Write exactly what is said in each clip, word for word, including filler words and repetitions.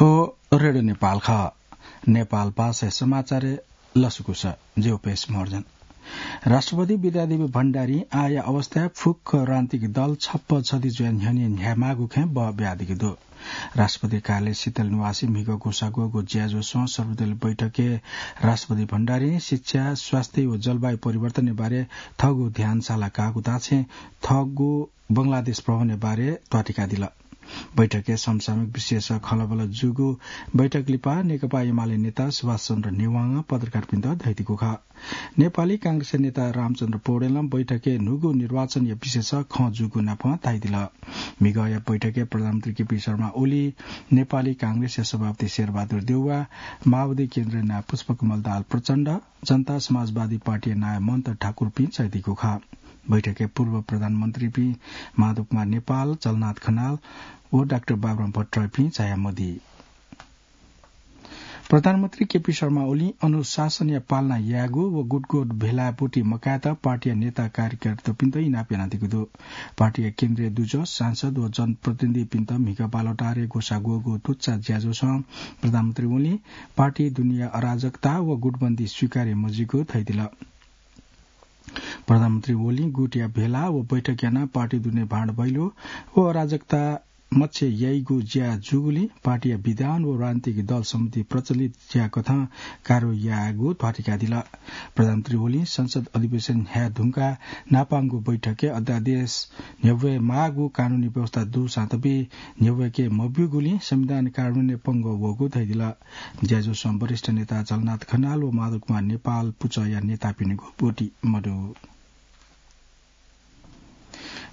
ओ रेडियो नेपाल खः। नेपाल भाषाया समाचारय् लसकुस, ज्यू पेश महर्जन। राष्ट्रपति विद्यादेवी भण्डारी आःया अवस्थाय् फुक्क राजनीतिक दल छप्पा छधी जुयाः न्ह्यःने न्ह्यायेमाःगु खँय् बः बियादीगु दु। राष्ट्रपति कार्यालय शीतल निवासय् म्हिगः ग्वसाः ग्वःगु ज्याझ्वलय् सर्वदलीय बैठकय् राष्ट्रपति भण्डारीं शिक्षा, स्वास्थ्य व जलवायु परिवर्तनया बारे थःगु ध्यान साला काःगु धाःछेँ थःगु बंगलादेश भ्रमणया बारे ध्वाथुइकादिल। बैठकय् समसामयिक विषयस खँल्हाबल्हा जूगु बैठक लिपा नेकपा एमाले नेता सुभाष चन्द्र नेवाःं पत्रकारपिन्त धयादीगु खः। नेपाली कांग्रेसया नेता रामचन्द्र पौडेलं बैठकय् न्हूगु निर्वाचनया विषयस खँ जूगु नापं धयादिल। म्हिगःया बैठकय् प्रधानमन्त्री केपी शर्मा ओली, नेपाली कांग्रेसया सभापति शेरबहादुर देउवा, माओवादी केन्द्रीय नायः पुष्पकमल दाहाल प्रचण्ड, जनता समाजवादी पार्टीया नायः मन्त ठाकुरपिं झायादीगु खः। बैठकय् पूर्व प्रधानमन्त्रीपिं माधव कुमार नेपाल, झलनाथ खनाल व डाक्टर बाबुराम भट्टराईपिं झाया मदी। प्रधानमन्त्री केपी शर्मा ओलीं अनुशासनया पालना यायेगु व गुटगुट भेलाय् ब्वति मकायेत पार्टीया नेता कार्यकर्तापिन्त इनाप यानादीगु दु। पार्टीया केन्द्रीय दुजः, सांसद व जनप्रतिनिधिपिन्त म्हिगः बालुवाटारय् ग्वसाः ग्वःगु तुच्चा ज्याझ्वलय् प्रधानमन्त्री ओलीं पार्टी दुनेया अराजकता व गुटबन्दी स्वीकार्य मजूगु धयादिल। प्रधानमन्त्री ओलीं गुटया भेला व बैठक यानाः पार्टी दुने भाँडभैलो व अराजकता मछिं याइगु ज्या जूगुलिं पार्टीया विधान व राजनीतिक दल सम्बन्धी प्रचलित ज्याकथं कार्य यायेगु ध्वाथुइकादिल। प्रधानमन्त्री ओलीं संसद अधिवेशन न्ह्याये धुंकाः न्हापांगु बैठकय् अध्यादेश न्ह्यब्वये माःगु कानूनी व्यवस्था दुसां तबि न्ह्यब्वय्के मब्यूगुलिं संविधान कार्यान्वयनय् पंगः वःगु धयादिल। ज्याझ्वलय् वरिष्ठ नेता झलनाथ खनाल व माधव कुमार नेपाल पुचःया नेतापिनिगु ब्वति मदु।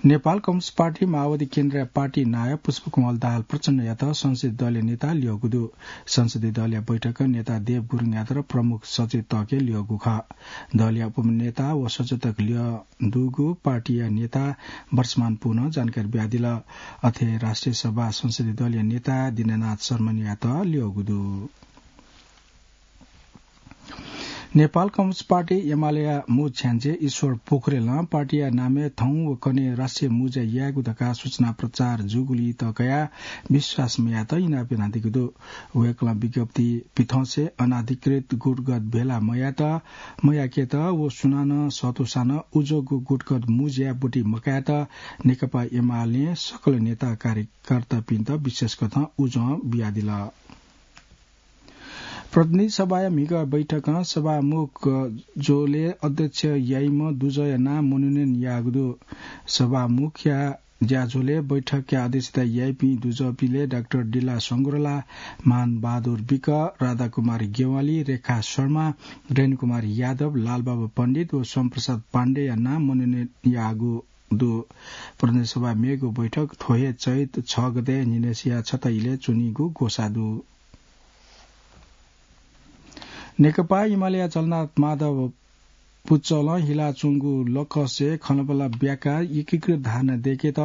नेपाल कम्युनिस्ट पार्टी माओवादी केन्द्रीय पार्टी नायः पुष्पकमल दाहाल प्रचण्डयात संसदीय दलया नेता ल्यःगु दु। संसदीय दलया बैठकं नेता देव गुरुङयात प्रमुख सचेतकय् ल्यःगु खः। दलया उपनेता व सचेतक ल्यः दुगु पार्टीया नेता वर्षमान पुनं जानकारी बियादिल। अथे राष्ट्रिय सभा संसदीय दलया नेता दिनानाथ शर्मायात ल्यःगु दु। नेपाल कम्युनिस्ट पार्टी एमालेया मू छ्याञ्जे ईश्वर पोखरेलं पार्टीया नामय् थौं व कन्हय् राष्ट्रिय मुँज्या यायेगु धकाः सूचना प्रचार जूगुलिइ तःकयाः विश्वास मयायेत इनाप यानादीगु दु। वय्कलं विज्ञप्ति पिथंसे अनाधिकृत गुटगत भेला मयायेत, मयायेकेत व सुनानं सःतूसां नं उजोगु गुटगत मुँज्याय् ब्वति मकायेत नेकपा एमालें सकल नेता कार्यकर्तापिन्त विशेष कथं उजं बियादिल। प्रतिनिधि सभाया म्हिगः बैठकं सभामुख ज्वलय् अध्यक्ष याइम्ह दुजःया नां मनोनयन याःगु दु। सभामुखया ज्याझ्वलय् बैठकया अध्यक्षता याइपिं दुजःपिलय् डाक्टर डिल्ला संग्रोला, मान बहादुर विक, राधाकुमार ज्ञवाली, रेखा शर्मा, रेणुकुमार यादव, लालबाबु पण्डित व सोमप्रसाद पाण्डेया नां मनोनयन याःगु दु। प्रतिनिधि सभा मेगु बैठक थ्व हे चैत छ गते न्हिनय्सिया छता इलय् च्वनीगु ग्वसाः दु। नेकपा एमालेया झलनाथ माधव पुचलं हिलाच्वंगु लकसय् खँल्हाबल्हा ब्याकाः एकीकृत धारणा दयेकेत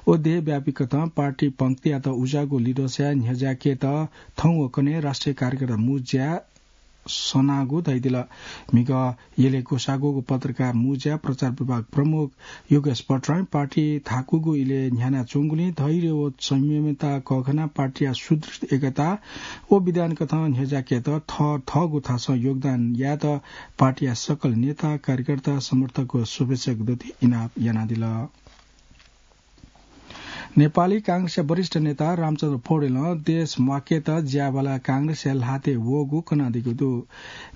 व देशव्यापी कथं पार्टी पंक्तियात उज्याःगु लिधंसाय् न्ह्यज्याकेत थौं व कन्हय् राष्ट्रिय कार्यकर्ता मुँज्या सनागु धयादिल। म्हिगः यलय् ग्वसाः ग्वःगु पत्रकार मुँज्या प्रचार विभाग प्रमुख योगेश भट्टराईं पार्टी थाकूगु इलय् न्ह्यानाच्वंगुलिं धैर्य व संयमितता कःघानाः पार्टीया सुदृढ एकता व विधान कथं न्ह्यज्याकेत थःथःगु थासं योगदान यायेत पार्टीया सकल नेता, कार्यकर्ता, समर्थक व शुभेच्छकतय्त इनाप यानादिल। नेपाली कांग्रेसया वरिष्ठ नेता रामचन्द्र पौडेलं देश म्वाकेत ज्याबाला कांग्रेसया ल्हातय् वःगु कनादीगु दु।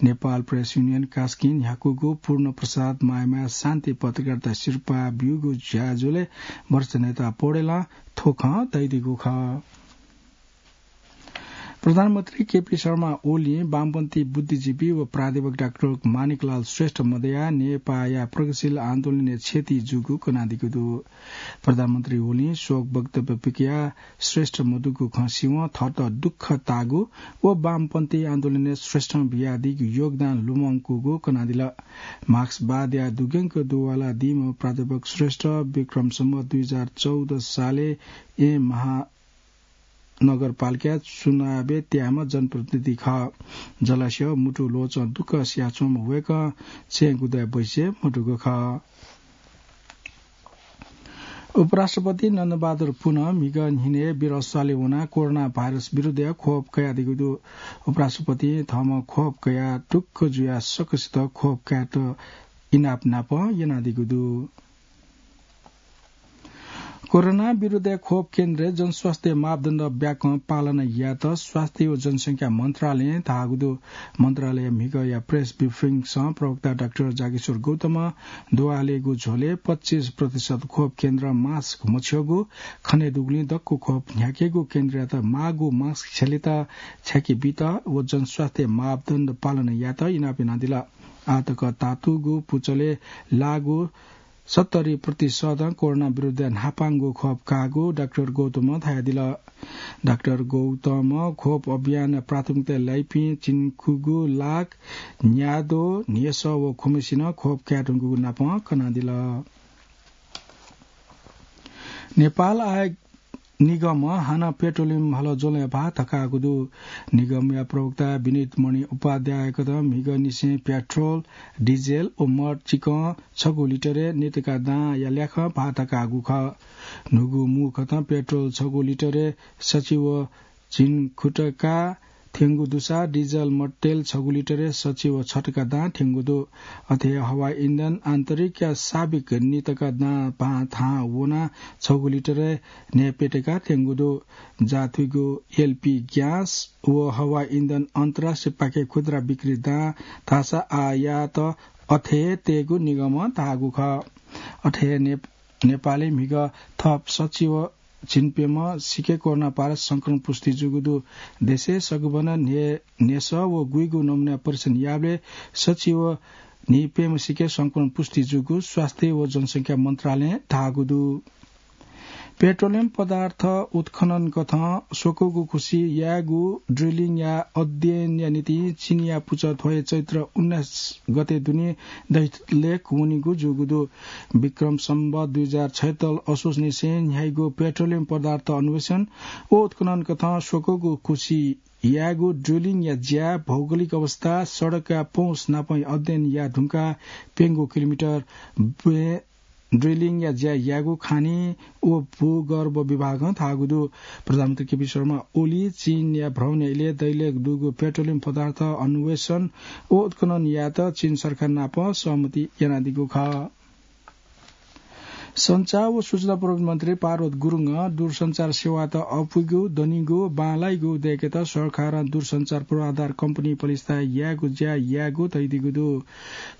नेपाल प्रेस युनियन कास्कीं न्ह्याकूगु पूर्ण प्रसाद मायमाया शान्ति पत्रकारिता सिरपाः ब्यूगु ज्याझ्वलय् वरिष्ठ नेता पौडेलं थ्व खँ धयादीगु खः। प्रधानमन्त्री केपी शर्मा ओलीं वामपन्थी बुद्धिजीवी व प्राध्यापक डाक्टर माणिकलाल श्रेष्ठ मदयाः नेपाःया प्रगतिशील आन्दोलनय् क्षति जूगु कनादीगु दु। प्रधानमन्त्री ओलीं शोक वक्तव्य पिकयाः श्रेष्ठ मदुगु खँ सिवं थःत दुःख ताःगु व वामपन्थी आन्दोलनय् श्रेष्ठं बियादीगु योगदान लुमंकूगु कनादिल। मार्क्सवादया दुग्यंक दुवालादीम्ह प्राध्यापक श्रेष्ठ विक्रम सम्वत दुई हजार चौध सालय् येँ महा नगरपालिकाय् चुनावय् त्याःम्ह जनप्रतिनिधि खः। जलस्यं मुटु ल्वचं दुःख सियाच्वंम्ह वय्कः छेँगुदँय् बैसे मदुगु खः। उपराष्ट्रपति नन्दबहादुर पुन म्हिगः न्हिनय् वीरस्थलय् वनाः कोरोना भाइरस विरुद्धया खोप कयादीगु दु। उपराष्ट्रपतिं थःम्हं खोप कयाः ढुक्क जुयाः सकसित खोप कायेत इनाप नाप यानादीगु दु। कोरोना विरुद्धया खोप केन्द्रय् जनस्वास्थ्य मापदण्ड ब्याकं पालना यायेत स्वास्थ्य व जनसंख्या मन्त्रालयं धाःगु दु। मन्त्रालय म्हिगःया प्रेस ब्रिफिङसं प्रवक्ता डाक्टर जागेश्वर गौतमं दुहालेगु झ्वलय् पच्चिस प्रतिशत खोप केन्द्र मास्क मछ्यःगु, खने दुगुलिं दक्व खोप न्ह्याकेगु केन्द्रयात माःगु मास्क छ्यालेत छ्याके बीत व जनस्वास्थ्य मापदण्ड पालना यायेत इनाप यानादिल। आःतक तातुगु पुचलय् लाःगु सत्तरी प्रतिशतं कोरोना विरुद्ध न्हापांगु खोप काःगु डाक्टर गौतमं धयादिल। डाक्टर गौतमं खोप अभियान प्राथमिकता लाइपिं चिन्खुगु, लाक, न्यादँ, न्हेसः व खुम्हेसिनं खोप कायेधुंकूगु नापं कनादिल। नेपाल आयल निगमं हानं पेट्रोलियम हलज्वलंया भाः थकाःगु दु। निगमया प्रवक्ता विनित मणि उपाध्यायकथं म्हिगःनिसें पेट्रोल, डिजेल व मद चिकं छगू लिटरय् नीतका दांया ल्याखं भाः थकाःगु खः। न्हूगु मू कथं पेट्रोल छगू लिटरय् सछि व झिंखुटका थ्यंगु दुसा डिजेल मद तेल छगू लिटरय् सछि व छटका दां थ्यंगु दु। अथे हे हवाई इन्धन आन्तरिकया साबिक नीतका दां भाः थाहां वनाः छगू लिटरय् न्हय्‌प्यटका थ्यंगु दु। जाथुइगु एलपी ग्यास व हवाई इन्धन अन्तर्राष्ट्रिय पाखे खुद्रा बिक्री दां धाःसा आयात अथे हे तयेगु निगमं धाःगु खः। अथे हे ने-, नेपालय् म्हिगः थप सछि व झिंप्यम्ह सिके कोरोना भाइरस संक्रमण पुष्टि जूगु दु। देशय् सगुबनं न्हे-, न्हेसः व गुइगु नमुना परीक्षण याःबलय् सछि व न्हिप्यम्ह सिके संक्रमण पुष्टि जूगु स्वास्थ्य व जनसंख्या मन्त्रालयं धाःगु दु। पेट्रोलियम पदार्थ उत्खनन कथं स्वकूगु खुसि यायेगु ड्रिलिङया अध्ययनया निंतिं चीनया पुचः थ्व हे चैत्र उन्नाइस गते दुने दैलेख वनीगु जूगु दु। विक्रम सम्वत दुई हजार छयत्तर असोजनिसें न्ह्याइगु पेट्रोलियम पदार्थ अन्वेषण व उत्खनन कथं स्वकूगु खुसि यायेगु ड्रिलिङया ज्या, भौगोलिक अवस्था, सडकया पहुँच नापं अध्ययन याये धुंकाः प्यंगू किलोमिटर ब्वँय् ड्रिलिङया ज्या यायेगु खानी व भूगर्भ विभागं धाःगु दु। प्रधानमन्त्री केपी शर्मा ओली चीनया भ्रमणया इलय् दैलेख दुगु पेट्रोलियम पदार्थ अन्वेषण व उत्खनन यायेत चीन सरकार नाप सहमति यानादीगु खः। सञ्चार व सूचना प्रविधि मन्त्री पार्वत गुरुङं दूरसञ्चार सेवात अपुइगु, दनिगु, बांलाइगु दयेकेत सरकारं दूरसञ्चार पूर्वाधार कम्पनी पलिस्था यायेगु ज्या यायेगु धयादीगु दु।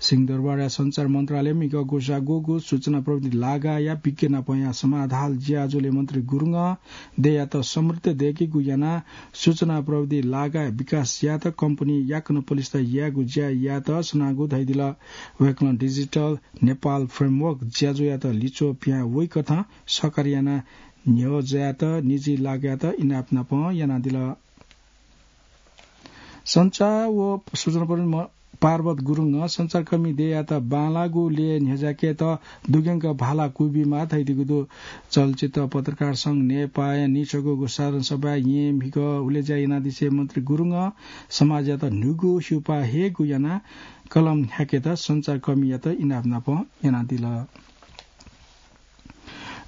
सिंहदरबारया सञ्चार मन्त्रालयं म्हिगः ग्वसाः ग्वःगु सूचना प्रविधि लागाःया विज्ञ नापंया समाधाल ज्याझ्वलय् मन्त्री गुरुङं देय्‌यात समृद्ध दयेकेगु यानाः सूचना प्रविधि लागाःया विकास यायेत कम्पनी याकनं पलिस्था यायेगु ज्या यायेत सनागु धयादिल। वय्‌कलं डिजिटल नेपाल फ्रेमवर्क ज्याझ्वःयात लिच्वः पिहां वइकथं सहकार्य यानाः न्ह्यः ज्यायात निजी लागाःयात इनाप नापं यानादिल। सञ्चार व सूचना प्रविधि म-, पार्वत गुरुङं सञ्चारकर्मी देय्‌यात बांलाःगु लँय् न्ह्यज्याकेत दुग्यंक भाला क्वबिमाः धयादीगु दु। चलचित्र पत्रकार संघ नेपाःया निछगूगु साधारण सभाय् येँ म्हिगः हुलय्‌ज्या यानादिसें मन्त्री गुरुङं समाजयात न्हूगु हिउपाः हयेगु यानाः कलम न्ह्याकेत सञ्चारकर्मीयात इनाप नापं यानादिल।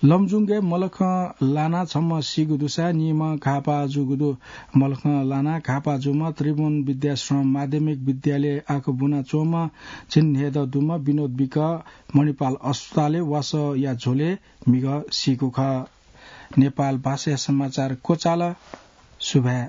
लमजुङय् मलखं लानाः छम्ह सीगु दुसा निम्ह घाःपाः जूगु दु। मलखं लानाः घाःपाः जूम्ह त्रिभुवन विद्याश्रम माध्यमिक विद्यालय आखुबुना च्वंम्ह झिंन्हय्‌दँ दुम्ह विनोद विक मणिपाल अस्पतालय् वासःया झ्वलय् म्हिगः सीगु खः। नेपाल भाषाया समाचार क्वचाल। सुभाय्।